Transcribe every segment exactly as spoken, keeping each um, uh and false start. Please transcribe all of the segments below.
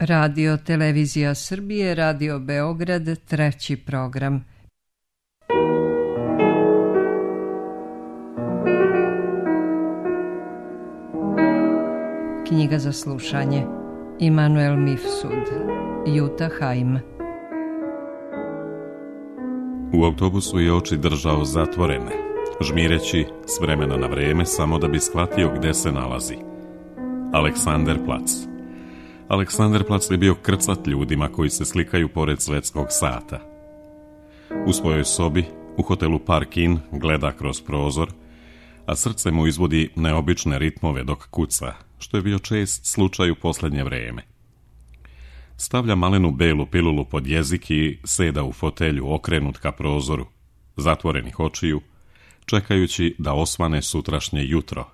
Radio Televizija Srbije, Radio Beograd, treći program. Knjiga za slušanje. Immanuel Mifsud, Jutta Heim. U autobusu je oči držao zatvorene, žmireći s vremena na vreme samo da bi shvatio gde se nalazi. Aleksanderplac. Aleksanderplac je bio krcat ljudima koji se slikaju pored svetskog sata. U svojoj sobi, u hotelu Park Inn, gleda kroz prozor, a srce mu izvodi neobične ritmove dok kuca, što je bio čest slučaj u posljednje vreme. Stavlja malenu belu pilulu pod jezik i seda u fotelju okrenut ka prozoru, zatvorenih očiju, čekajući da osvane sutrašnje jutro,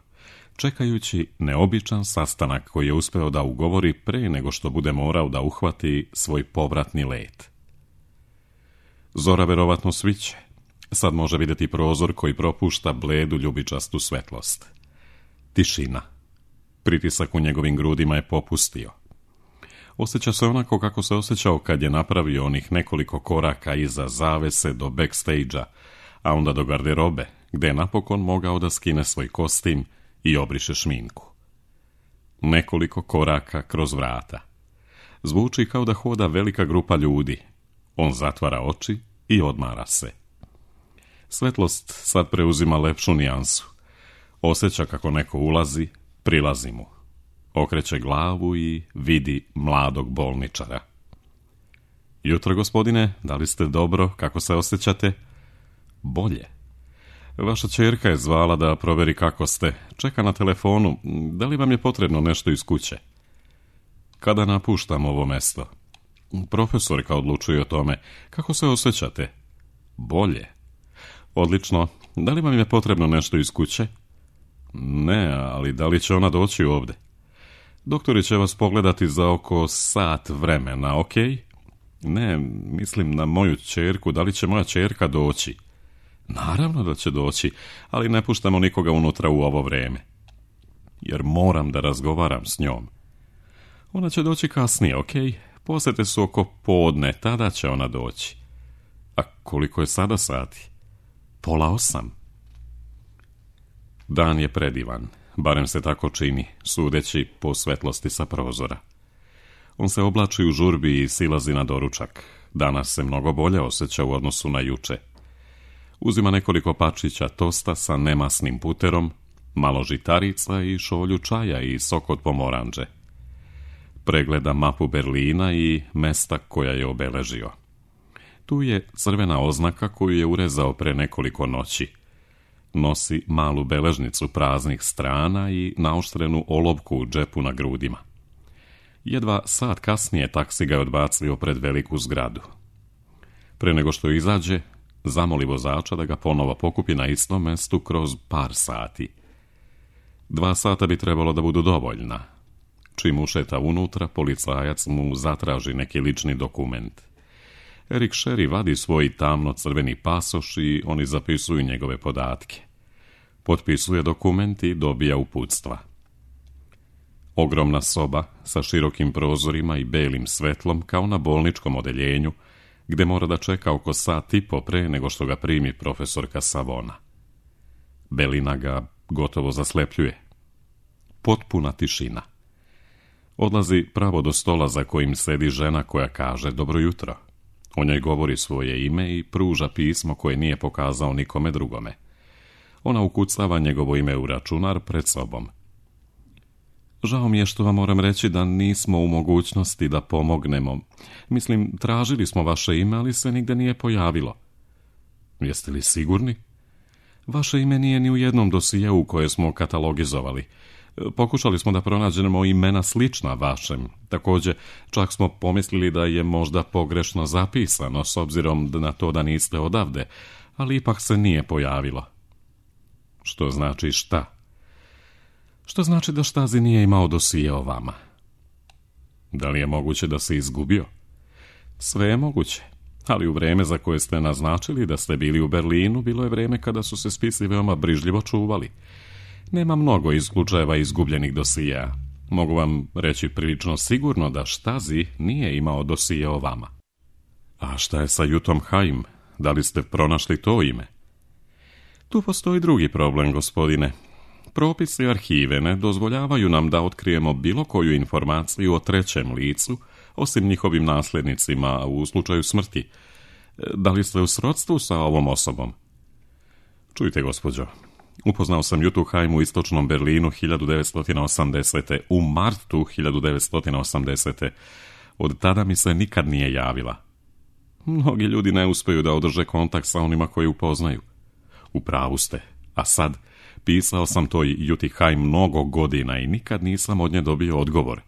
čekajući neobičan sastanak koji je uspeo da ugovori pre nego što bude morao da uhvati svoj povratni let. Zora verovatno sviće. Sad može vidjeti prozor koji propušta bledu ljubičastu svetlost. Tišina. Pritisak u njegovim grudima je popustio. Osjeća se onako kako se osjećao kad je napravio onih nekoliko koraka iza zavese do backstage-a, a onda do garderobe, gde je napokon mogao da skine svoj kostim i obriše šminku. Nekoliko koraka kroz vrata. Zvuči kao da hoda velika grupa ljudi. On zatvara oči i odmara se. Svetlost sad preuzima lepšu nijansu. Osjeća kako neko ulazi, prilazi mu. Okreće glavu i vidi mladog bolničara. Jutro, gospodine, da li ste dobro, kako se osjećate? Bolje. Vaša ćerka je zvala da proveri kako ste. Čeka na telefonu. Da li vam je potrebno nešto iz kuće? Kada napuštam ovo mesto? Profesorka odlučuje o tome. Kako se osjećate? Bolje. Odlično. Da li vam je potrebno nešto iz kuće? Ne, ali da li će ona doći ovdje? Doktori će vas pogledati za oko sat vremena, ok? Ne, mislim na moju ćerku. Da li će moja ćerka doći? Naravno da će doći, ali ne puštamo nikoga unutra u ovo vreme. Jer moram da razgovaram s njom. Ona će doći kasnije, ok? Posete su oko podne, tada će ona doći. A koliko je sada sati? Pola osam. Dan je predivan, barem se tako čini, sudeći po svetlosti sa prozora. On se oblači u žurbi i silazi na doručak. Danas se mnogo bolje osjeća u odnosu na juče. Uzima nekoliko pačića tosta sa nemasnim puterom, malo žitarica i šolju čaja i sok od pomoranđe. Pregleda mapu Berlina i mesta koja je obeležio. Tu je crvena oznaka koju je urezao pre nekoliko noći. Nosi malu beležnicu praznih strana i naoštrenu olovku u džepu na grudima. Jedva sat kasnije taksi ga je odbacio pred veliku zgradu. Pre nego što izađe, zamoli vozača da ga ponovo pokupi na istom mestu kroz par sati. Dva sata bi trebalo da budu dovoljna. Čim ušeta unutra, policajac mu zatraži neki lični dokument. Erik Sherry vadi svoj tamno-crveni pasoš i oni zapisuju njegove podatke. Potpisuje dokument i dobija uputstva. Ogromna soba sa širokim prozorima i belim svetlom kao na bolničkom odeljenju, gde mora da čeka oko sat i po pre nego što ga primi profesorka Savona. Belina ga gotovo zaslepljuje. Potpuna tišina. Odlazi pravo do stola za kojim sedi žena koja kaže dobro jutro. O njoj govori svoje ime i pruža pismo koje nije pokazao nikome drugome. Ona ukucava njegovo ime u računar pred sobom. Žao mi je što vam moram reći da nismo u mogućnosti da pomognemo. Mislim, tražili smo vaše ime, ali se nigde nije pojavilo. Jeste li sigurni? Vaše ime nije ni u jednom dosijeu koje smo katalogizovali. Pokušali smo da pronađemo imena slična vašem. Također, čak smo pomislili da je možda pogrešno zapisano, s obzirom na to da niste odavde, ali ipak se nije pojavilo. Što znači šta? Što znači da Štazi nije imao dosije o vama? Da li je moguće da se izgubio? Sve je moguće, ali u vreme za koje ste naznačili da ste bili u Berlinu, bilo je vreme kada su se spisi veoma brižljivo čuvali. Nema mnogo iz slučajeva izgubljenih dosija. Mogu vam reći prilično sigurno da Štazi nije imao dosije o vama. A šta je sa Jutom Haim? Da li ste pronašli to ime? Tu postoji drugi problem, gospodine. Propisi arhive ne dozvoljavaju nam da otkrijemo bilo koju informaciju o trećem licu, osim njihovim nasljednicima u slučaju smrti. Da li ste u srodstvu sa ovom osobom? Čujte, gospođo, upoznao sam Jutu Haim u istočnom Berlinu hiljadu devetsto osamdesete. U martu hiljadu devetsto osamdesete. Od tada mi se nikad nije javila. Mnogi ljudi ne uspiju da održe kontakt sa onima koji upoznaju. U pravu ste, a sad pisao sam toj Juti Haim mnogo godina i nikad nisam od nje dobio odgovor.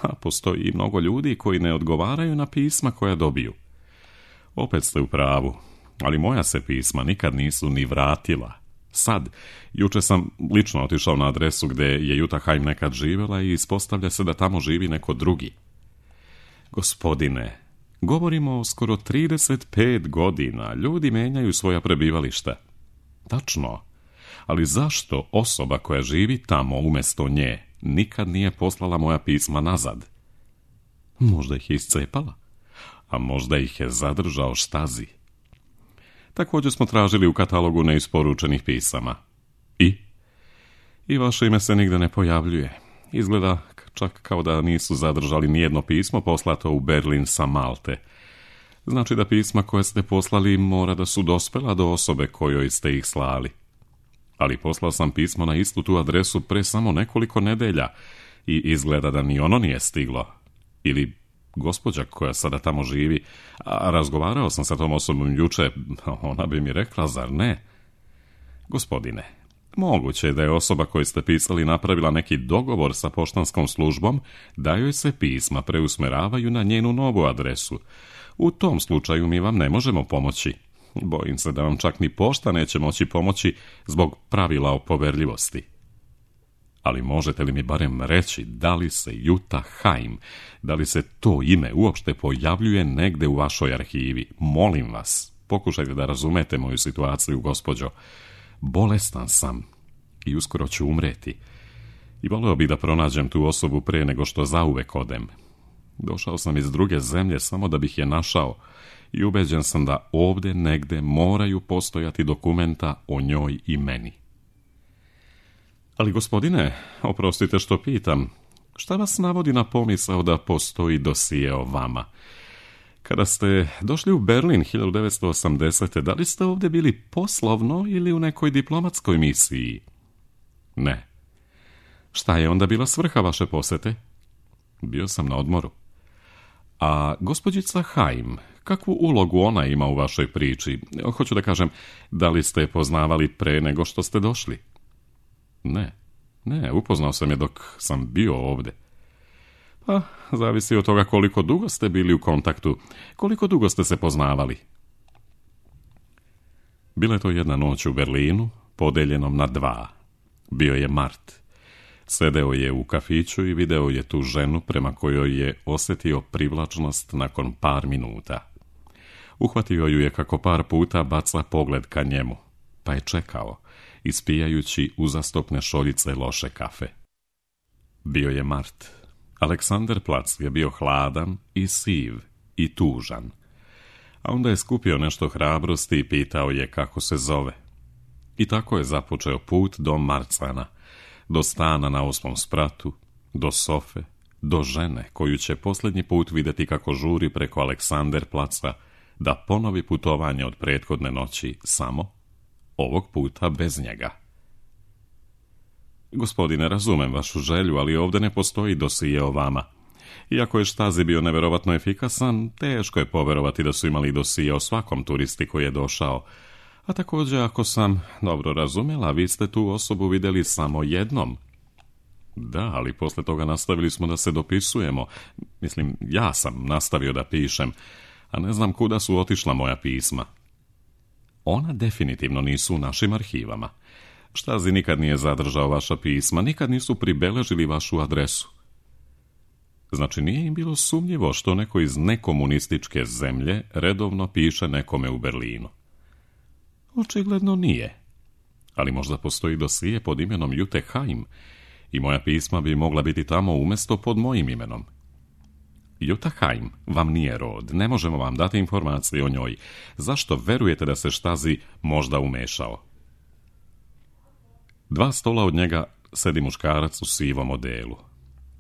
A postoji i mnogo ljudi koji ne odgovaraju na pisma koja dobiju. Opet ste u pravu, ali moja se pisma nikad nisu ni vratila. Sad, juče sam lično otišao na adresu gdje je Juta Haim nekad živjela i ispostavlja se da tamo živi neko drugi. Gospodine, govorimo o skoro trideset pet godina, ljudi menjaju svoja prebivališta. Tačno, ali zašto osoba koja živi tamo umjesto nje nikad nije poslala moja pisma nazad? Možda ih je iscepala, a možda ih je zadržao Štazi. Također smo tražili u katalogu neisporučenih pisama. I? I vaše ime se nigde ne pojavljuje. Izgleda čak kao da nisu zadržali nijedno pismo poslato u Berlin sa Malte. Znači da pisma koje ste poslali mora da su dospela do osobe kojoj ste ih slali. Ali poslao sam pismo na istu tu adresu pre samo nekoliko nedelja i izgleda da ni ono nije stiglo. Ili gospođa koja sada tamo živi, a razgovarao sam sa tom osobom juče, ona bi mi rekla, zar ne? Gospodine, moguće je da je osoba koju ste pisali napravila neki dogovor sa poštanskom službom da joj se pisma preusmeravaju na njenu novu adresu. U tom slučaju mi vam ne možemo pomoći. Bojim se da vam čak ni pošta neće moći pomoći zbog pravila o poverljivosti. Ali možete li mi barem reći da li se Juta Haim, da li se to ime uopšte pojavljuje negde u vašoj arhivi? Molim vas, pokušajte da razumete moju situaciju, gospođo. Bolestan sam i uskoro ću umreti. I voleo bih da pronađem tu osobu pre nego što zauvek odem. Došao sam iz druge zemlje samo da bih je našao i ubeđen sam da ovdje negde moraju postojati dokumenta o njoj i meni. Ali gospodine, oprostite što pitam, šta vas navodi na pomisao da postoji dosije o vama? Kada ste došli u Berlin hiljadu devetsto osamdesete. da li ste ovdje bili poslovno ili u nekoj diplomatskoj misiji? Ne. Šta je onda bila svrha vaše posete? Bio sam na odmoru. A gospođica Haim, kakvu ulogu ona ima u vašoj priči? Hoću da kažem, da li ste je poznavali pre nego što ste došli? Ne, ne, upoznao sam je dok sam bio ovdje. Pa, zavisi od toga koliko dugo ste bili u kontaktu, koliko dugo ste se poznavali. Bila je to jedna noć u Berlinu, podeljenom na dva. Bio je mart. Sedeo je u kafiću i video je tu ženu prema kojoj je osjetio privlačnost nakon par minuta. Uhvatio ju je kako par puta baca pogled ka njemu, pa je čekao, ispijajući uzastopne šoljice loše kafe. Bio je mart. Aleksanderplatz je bio hladan i siv i tužan. A onda je skupio nešto hrabrosti i pitao je kako se zove. I tako je započeo put do Marzahna, do stana na osmom spratu, do sofe, do žene koju će posljednji put vidjeti kako žuri preko Aleksanderplatza da ponovi putovanje od prethodne noći samo, ovog puta bez njega. Gospodine, razumem vašu želju, ali ovdje ne postoji dosije o vama. Iako je Štazi bio neverovatno efikasan, teško je poverovati da su imali dosije o svakom turisti koji je došao. A također, ako sam dobro razumjela, vi ste tu osobu vidjeli samo jednom. Da, ali posle toga nastavili smo da se dopisujemo. Mislim, ja sam nastavio da pišem, a ne znam kuda su otišla moja pisma. Ona definitivno nisu u našim arhivama. Štazi nikad nije zadržao vaša pisma, nikad nisu pribeležili vašu adresu. Znači, nije im bilo sumnjivo što neko iz nekomunističke zemlje redovno piše nekome u Berlinu. Očigledno nije. Ali možda postoji dosije pod imenom Jute Haim i moja pisma bi mogla biti tamo umjesto pod mojim imenom. Jutta Heim vam nije rod, ne možemo vam dati informacije o njoj. Zašto verujete da se Stasi možda umešao? Dva stola od njega sedi muškarac u sivom odelu.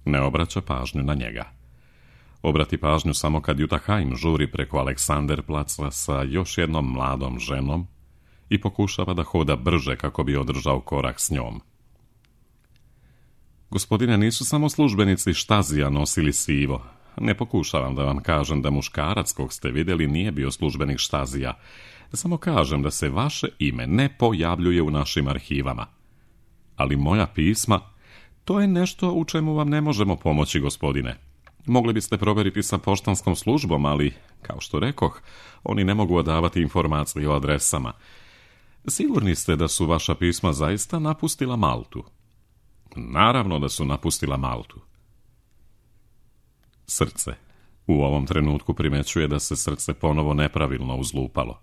Ne obraća pažnju na njega. Obrati pažnju samo kad Jutta Heim žuri preko Aleksanderplaca sa još jednom mladom ženom i pokušava da hoda brže kako bi održao korak s njom. Gospodine, nisu samo službenici Stasija nosili sivo. Ne pokušavam da vam kažem da muškarac kog ste vidjeli nije bio službenik Stasija. Samo kažem da se vaše ime ne pojavljuje u našim arhivama. Ali moja pisma, to je nešto u čemu vam ne možemo pomoći, gospodine. Mogli biste provjeriti sa poštanskom službom, ali, kao što rekoh, oni ne mogu odavati informacije o adresama. Sigurni ste da su vaša pisma zaista napustila Maltu? Naravno da su napustila Maltu. Srce. U ovom trenutku primećuje da se srce ponovo nepravilno uzlupalo.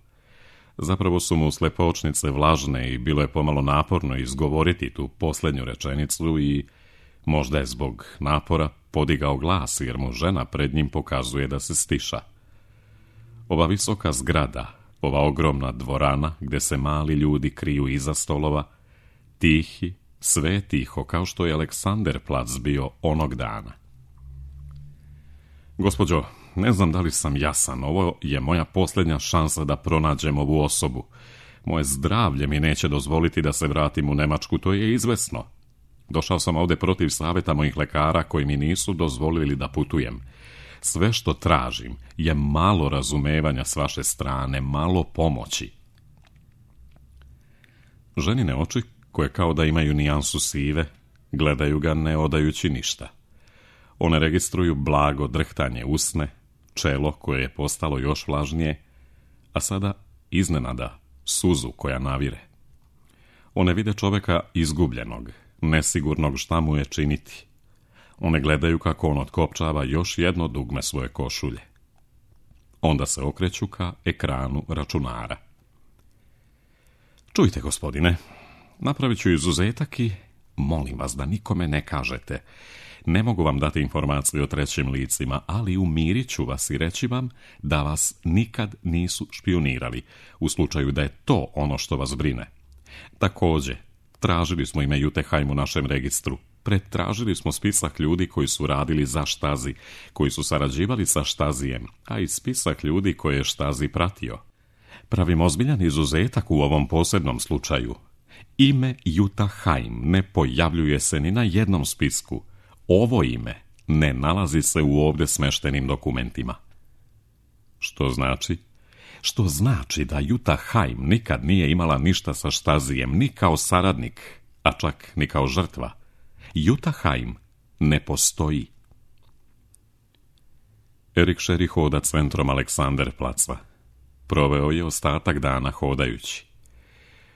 Zapravo su mu slepočnice vlažne i bilo je pomalo naporno izgovoriti tu posljednju rečenicu i možda je zbog napora podigao glas jer mu žena pred njim pokazuje da se stiša. Ova visoka zgrada, ova ogromna dvorana gdje se mali ljudi kriju iza stolova, tihi, sve tiho kao što je Aleksanderplac bio onog dana. Gospođo, ne znam da li sam jasan, ovo je moja posljednja šansa da pronađem ovu osobu. Moje zdravlje mi neće dozvoliti da se vratim u Njemačku, to je izvesno. Došao sam ovdje protiv savjeta mojih lekara koji mi nisu dozvolili da putujem. Sve što tražim je malo razumevanja s vaše strane, malo pomoći. Ženine oči, koje kao da imaju nijansu sive, gledaju ga ne odajući ništa. One registruju blago drhtanje usne, čelo koje je postalo još vlažnije, a sada iznenada suzu koja navire. One vide čovjeka izgubljenog, nesigurnog šta mu je činiti. One gledaju kako on otkopčava još jedno dugme svoje košulje. Onda se okreću ka ekranu računara. Čujte, gospodine, napravit ću izuzetak i molim vas da nikome ne kažete. Ne mogu vam dati informacije o trećim licima, ali umirit ću vas i reći vam da vas nikad nisu špionirali, u slučaju da je to ono što vas brine. Također, tražili smo ime Jutte Heim u našem registru. Pretražili smo spisak ljudi koji su radili za Stasi, koji su sarađivali sa Stasijem, a i spisak ljudi koje je Stasi pratio. Pravim ozbiljan izuzetak u ovom posebnom slučaju. Ime Jutta Heim ne pojavljuje se ni na jednom spisku. Ovo ime ne nalazi se u ovdje smeštenim dokumentima. Što znači? Što znači da Jutta Heim nikad nije imala ništa sa Stasijem, ni kao saradnik, a čak ni kao žrtva. Jutta Heim ne postoji. Erik Šeri hoda centrom Aleksanderplaca. Proveo je ostatak dana hodajući.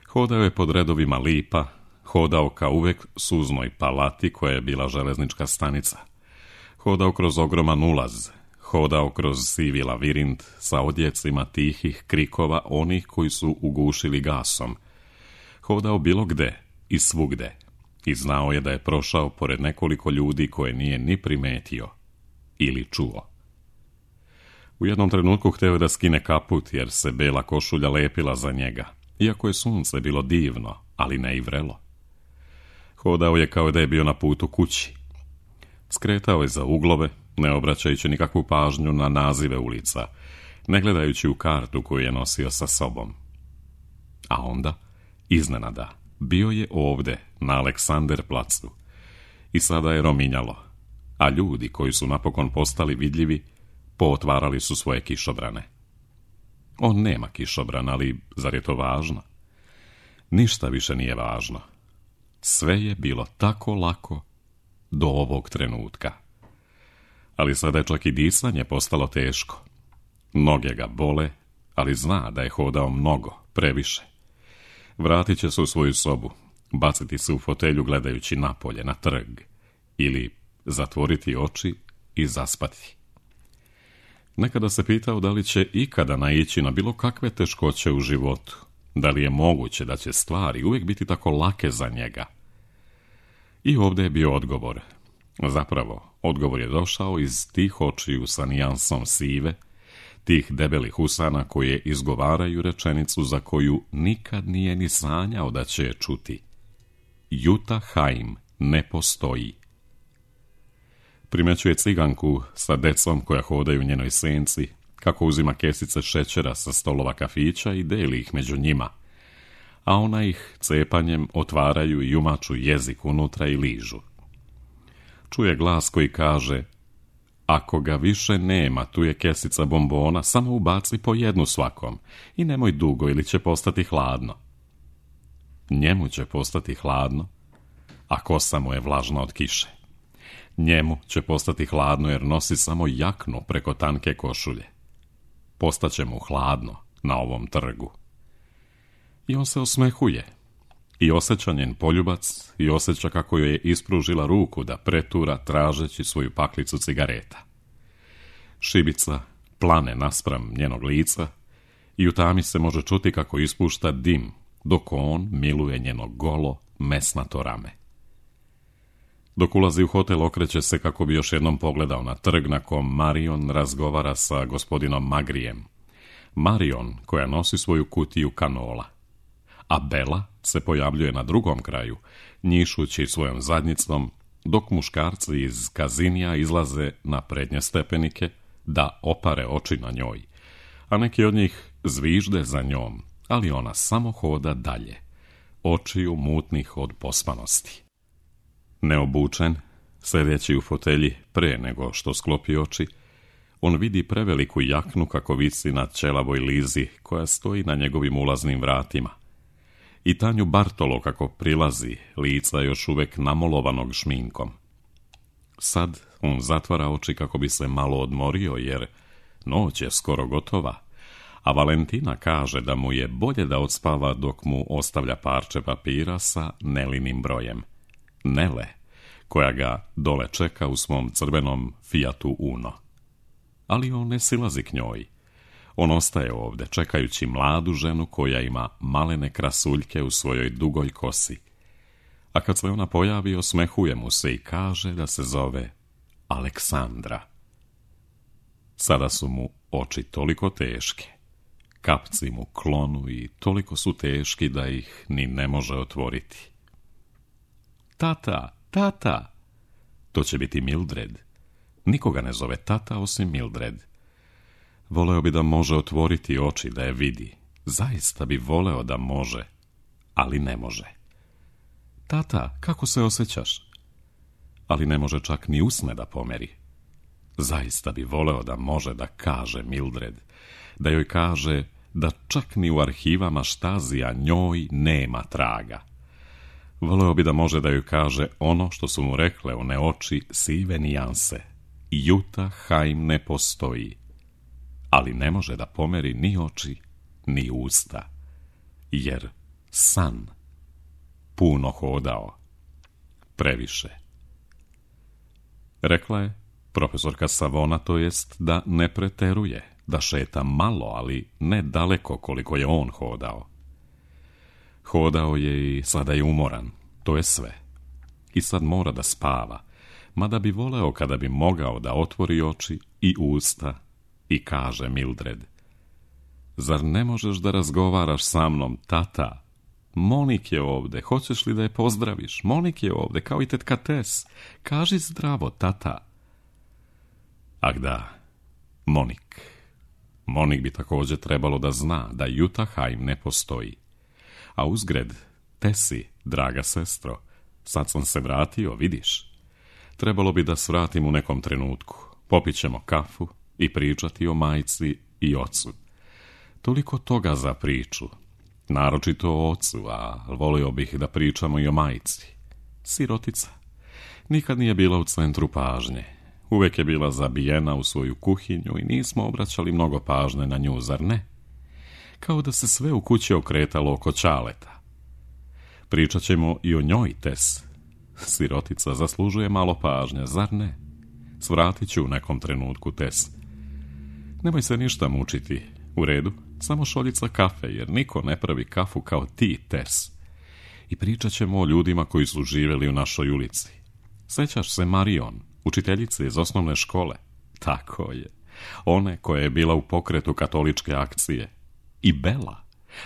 Hodao je pod redovima lipa, hodao kao uvek suznoj palati koja je bila železnička stanica. Hodao kroz ogroman ulaz, hodao kroz sivi lavirint sa odjecima tihih krikova onih koji su ugušili gasom. Hodao bilo gde i svugde i znao je da je prošao pored nekoliko ljudi koje nije ni primetio ili čuo. U jednom trenutku hteo da skine kaput jer se bela košulja lepila za njega, iako je sunce bilo divno, ali ne i vrelo. Hodao je kao da je bio na putu kući. Skretao je za uglove, ne obraćajući nikakvu pažnju na nazive ulica, ne gledajući u kartu koju je nosio sa sobom. A onda, iznenada, bio je ovdje, na Aleksanderplacu. I sada je rominjalo, a ljudi koji su napokon postali vidljivi, pootvarali su svoje kišobrane. On nema kišobran, ali zar je to važno? Ništa više nije važno. Sve je bilo tako lako do ovog trenutka. Ali sada je čak i disanje postalo teško. Noge ga bole, ali zna da je hodao mnogo, previše. Vratit će se u svoju sobu, baciti se u fotelju gledajući napolje, na trg, ili zatvoriti oči i zaspati. Nekada se pitao da li će ikada naići na bilo kakve teškoće u životu, da li je moguće da će stvari uvijek biti tako lake za njega. I ovdje je bio odgovor. Zapravo, odgovor je došao iz tih očiju sa nijansom sive, tih debelih usana koje izgovaraju rečenicu za koju nikad nije ni sanjao da će je čuti. Juta Haim ne postoji. Primećuje ciganku sa decom koja hodaju u njenoj senci, kako uzima kesice šećera sa stolova kafića i deli ih među njima, a ona ih cepanjem otvaraju i umaču jezik unutra i ližu. Čuje glas koji kaže: ako ga više nema, tu je kesica bombona, samo ubaci po jednu svakom i nemoj dugo ili će postati hladno. Njemu će postati hladno, a kosa mu je vlažna od kiše. Njemu će postati hladno jer nosi samo jaknu preko tanke košulje. Postaće mu hladno na ovom trgu. I on se osmehuje. I osjeća njen poljubac i osjeća kako joj je ispružila ruku da pretura tražeći svoju paklicu cigareta. Šibica plane naspram njenog lica i u tami se može čuti kako ispušta dim, dok on miluje njeno golo, mesnato rame. Dok ulazi u hotel, okreće se kako bi još jednom pogledao na trg na kom Marion razgovara sa gospodinom Magrijem. Marion koja nosi svoju kutiju kanola. A Bela se pojavljuje na drugom kraju, njišući svojom zadnjicom, dok muškarci iz kazinija izlaze na prednje stepenike da opare oči na njoj, a neki od njih zvižde za njom, ali ona samo hoda dalje, očiju mutnih od pospanosti. Neobučen, sedeći u fotelji pre nego što sklopi oči, on vidi preveliku jaknu kako visi na ćelavoj lizi koja stoji na njegovim ulaznim vratima. I Tanju Bartolo kako prilazi, lica još uvek namolovanog šminkom. Sad on zatvara oči kako bi se malo odmorio jer noć je skoro gotova, a Valentina kaže da mu je bolje da odspava dok mu ostavlja parče papira sa Nelinim brojem. Nele, koja ga dole čeka u svom crvenom Fiatu Uno. Ali on ne silazi k njoj. On ostaje ovde, čekajući mladu ženu koja ima malene krasuljke u svojoj dugoj kosi. A kad se ona pojavi, osmehuje mu se i kaže da se zove Aleksandra. Sada su mu oči toliko teške. Kapci mu klonu i toliko su teški da ih ni ne može otvoriti. Tata, tata! To će biti Mildred. Nikoga ne zove tata osim Mildred. Voleo bi da može otvoriti oči da je vidi. Zaista bi voleo da može, ali ne može. Tata, kako se osjećaš? Ali ne može čak ni usne da pomeri. Zaista bi voleo da može da kaže Mildred, da joj kaže da čak ni u arhivama Štazija njoj nema traga. Voleo bi da može da joj kaže ono što su mu rekle one oči sive nijanse. Juta Haim ne postoji. Ali ne može da pomeri ni oči, ni usta, jer san puno hodao, previše. Rekla je profesorka Savona, to jest da ne preteruje, da šeta malo, ali ne daleko koliko je on hodao. Hodao je i sada je umoran, to je sve. I sad mora da spava, mada bi voleo kada bi mogao da otvori oči i usta i kaže Mildred: zar ne možeš da razgovaraš sa mnom, tata? Monik je ovde, hoćeš li da je pozdraviš? Monik je ovde, kao i tetka Tes. Kaži zdravo, tata. Ak da, Monik. Monik bi također trebalo da zna da Juta Haim ne postoji. A uzgred, Tesi, draga sestro, sad sam se vratio, vidiš. Trebalo bi da svratim u nekom trenutku. Popit ćemo kafu i pričati o majci i ocu. Toliko toga za priču, naročito o ocu, a volio bih da pričamo i o majci. Sirotica. Nikad nije bila u centru pažnje. Uvek je bila zabijena u svoju kuhinju i nismo obraćali mnogo pažnje na nju, zar ne? Kao da se sve u kući okretalo oko Ćaleta. Pričat ćemo i o njoj, Tes. Sirotica zaslužuje malo pažnje, zar ne? Svratit ću u nekom trenutku, Tes. Nemoj se ništa mučiti. U redu, samo šoljica kafe, jer niko ne pravi kafu kao ti, Tes. i pričat ćemo o ljudima koji su živjeli u našoj ulici. Sjećaš se Marion, učiteljice iz osnovne škole? Tako je. One koja je bila u pokretu katoličke akcije. I Bela.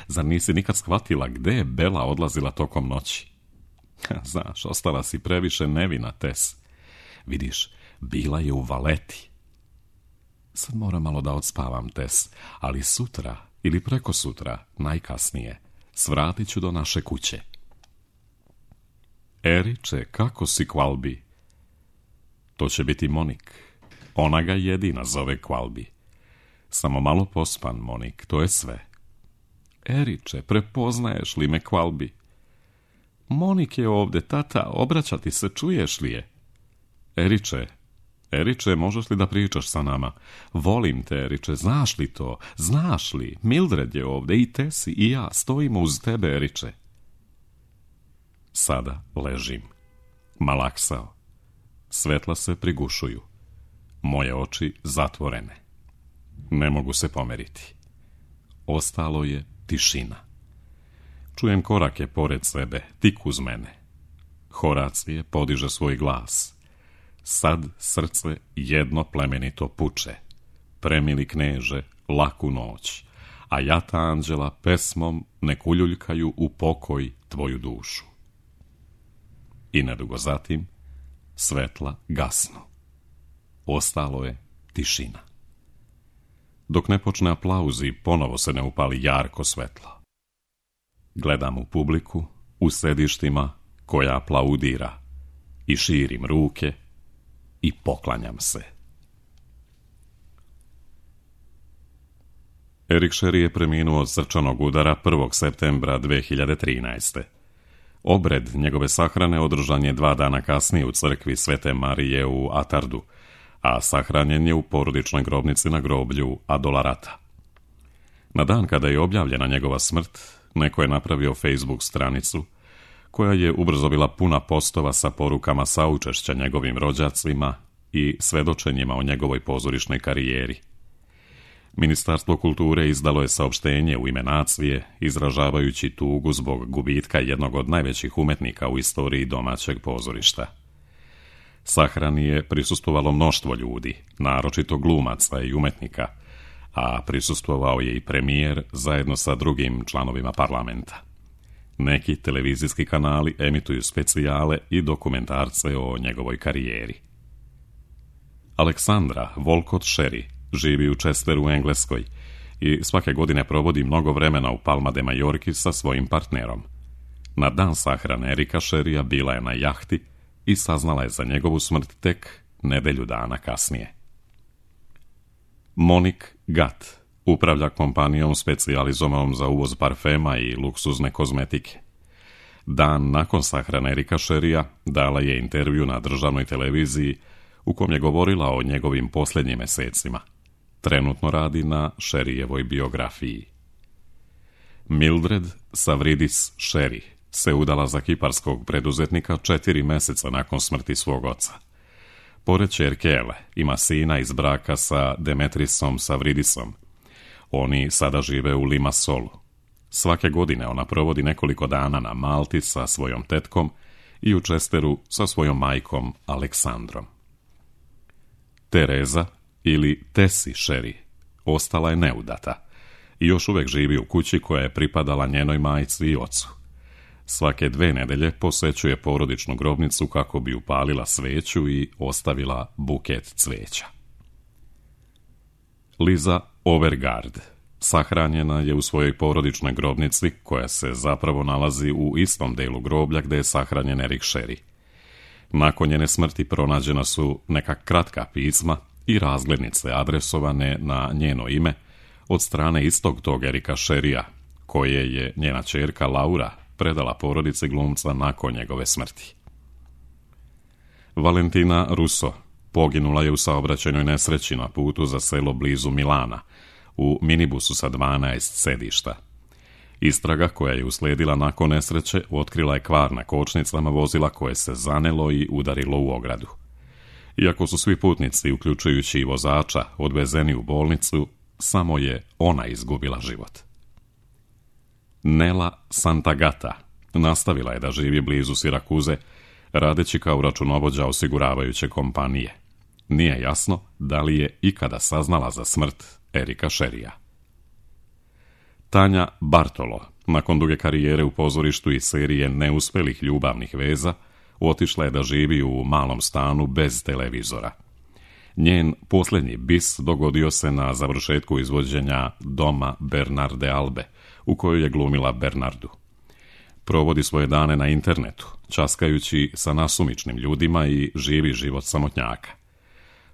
Zar nisi nikad shvatila gde je Bela odlazila tokom noći? Znaš, ostala si previše nevina, Tess. Vidiš, bila je u Valeti. Sad moram malo da odspavam, Tess, ali sutra ili preko sutra, najkasnije, svratit ću do naše kuće. Eriče, kako si, Qualby? To će biti Monik. Ona ga jedina zove Qualby. Samo malo pospan, Monik, to je sve. Eriče, prepoznaješ li me, Qualby? Monik je ovde, tata, obraća ti se, čuješ li je? Eriče, Eriče, možeš li da pričaš sa nama? Volim te, Eriče, znaš li to? Znaš li? Mildred je ovde i Tesi i ja stojimo uz tebe, Eriče. Sada ležim. Malaksao. Svetla se prigušuju. Moje oči zatvorene. Ne mogu se pomeriti. Ostalo je tišina. Čujem korake pored sebe, tik uz mene. Horacije podiže svoj glas. Sad srce jedno plemenito puče. Premili kneže, laku noć, a jata anđela pesmom nek uljuljkaju u pokoj tvoju dušu. I nedugo zatim svetla gasnu. Ostalo je tišina. Dok ne počne aplauzi, ponovo se ne upali jarko svetlo. Gledam u publiku, u sedištima koja aplaudira i širim ruke i poklanjam se. Erik Sherry je preminuo od srčanog udara prvog septembra dve hiljade trinaeste. Obred njegove sahrane održan je dva dana kasnije u crkvi Svete Marije u Atardu, a sahranjen je u porodičnoj grobnici na groblju Adolarata. Na dan kada je objavljena njegova smrt, neko je napravio Facebook stranicu koja je ubrzo bila puna postova sa porukama saučešća njegovim rođacima i svedočenjima o njegovoj pozorišnoj karijeri. Ministarstvo kulture izdalo je saopštenje u ime nacije, izražavajući tugu zbog gubitka jednog od najvećih umetnika u istoriji domaćeg pozorišta. Sahrani je prisustvovalo mnoštvo ljudi, naročito glumaca i umetnika, a prisustvovao je i premijer zajedno sa drugim članovima parlamenta. Neki televizijski kanali emituju specijale i dokumentarce o njegovoj karijeri. Aleksandra Volcott Sherry živi u Chesteru u Engleskoj i svake godine provodi mnogo vremena u Palma de Majorki sa svojim partnerom. Na dan sahrane Erika Sherrya bila je na jahti i saznala je za njegovu smrt tek nedelju dana kasnije. Monik Gatt upravlja kompanijom specijalizovanom za uvoz parfema i luksuzne kozmetike. Dan nakon sahrane Erika Sherrya dala je intervju na državnoj televiziji u kom je govorila o njegovim posljednjim mesecima. Trenutno radi na Sherryjevoj biografiji. Mildred Savridis Sherry se udala za kiparskog preduzetnika četiri meseca nakon smrti svog oca. Pored ćerke Ele ima sina iz braka sa Demetrisom Savridisom. Oni sada žive u Limassolu. Svake godine ona provodi nekoliko dana na Malti sa svojom tetkom i u Chesteru sa svojom majkom Aleksandrom. Tereza ili Tessie Sherry ostala je neudata i još uvek živi u kući koja je pripadala njenoj majci i ocu. Svake dve nedelje posećuje porodičnu grobnicu kako bi upalila sveću i ostavila buket cveća. Liza Overgaard sahranjena je u svojoj porodičnoj grobnici koja se zapravo nalazi u istom delu groblja gde je sahranjen Erik Sherry. Nakon njene smrti pronađena su neka kratka pisma i razglednice adresovane na njeno ime od strane istog tog Erika Sherrya, koje je njena ćerka Laura predala porodici glumca nakon njegove smrti. Valentina Russo poginula je u saobraćajnoj nesreći na putu za selo blizu Milana, u minibusu sa dvanaest sedišta. Istraga koja je usledila nakon nesreće otkrila je kvar na kočnicama vozila koje se zanelo i udarilo u ogradu. Iako su svi putnici, uključujući i vozača, odvezeni u bolnicu, samo je ona izgubila život. Nela Santagata Nastavila je da živi blizu Sirakuze, radeći kao računovođa osiguravajuće kompanije. Nije jasno da li je ikada saznala za smrt Erika Sherrya. Tanja Bartolo, nakon duge karijere u pozorištu i serije neuspelih ljubavnih veza, otišla je da živi u malom stanu bez televizora. Njen posljednji bis dogodio se na završetku izvođenja Doma Bernarde Albe, u kojoj je glumila Bernardu. Provodi svoje dane na internetu, časkajući sa nasumičnim ljudima i živi život samotnjaka.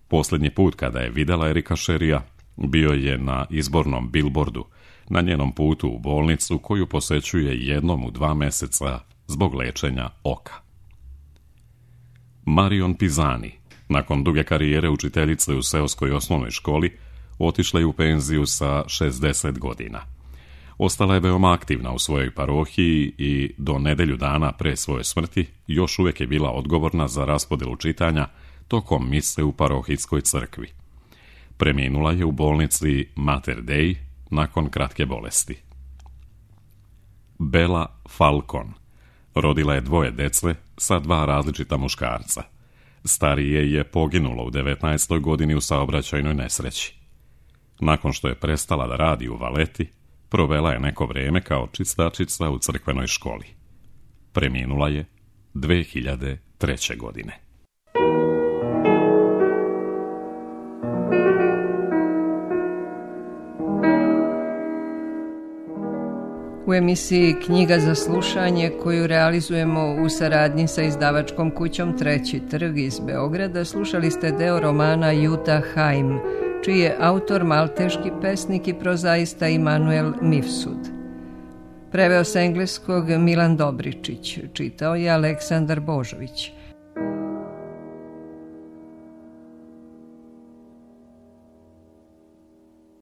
Posljednji put kada je vidjela Erika Sherrya bio je na izbornom billboardu, na njenom putu u bolnicu koju posećuje jednom u dva mjeseca zbog lečenja oka. Marion Pisani, nakon duge karijere učiteljice u seoskoj osnovnoj školi, otišla je u penziju sa šezdeset godina. Ostala je veoma aktivna u svojoj parohiji i do nedjelju dana pre svoje smrti još uvijek je bila odgovorna za raspodjelu čitanja tokom mise u parohijskoj crkvi. Preminula je u bolnici Mater Dei nakon kratke bolesti. Bella Falcon rodila je dvoje dece sa dva različita muškarca. Starije je poginulo u devetnaestoj godini u saobraćajnoj nesreći. Nakon što je prestala da radi u Valeti, provela je neko vrijeme kao čistačica u crkvenoj školi. Preminula je dve hiljade treće. godine. U emisiji Knjiga za slušanje, koju realizujemo u saradnji sa izdavačkom kućom Treći trg iz Beograda, slušali ste deo romana Juta Haim, čiji je autor malteški pesnik i prozaista Immanuel Mifsud. Preveo sa engleskog Milan Dobričić, čitao je Aleksandar Božović.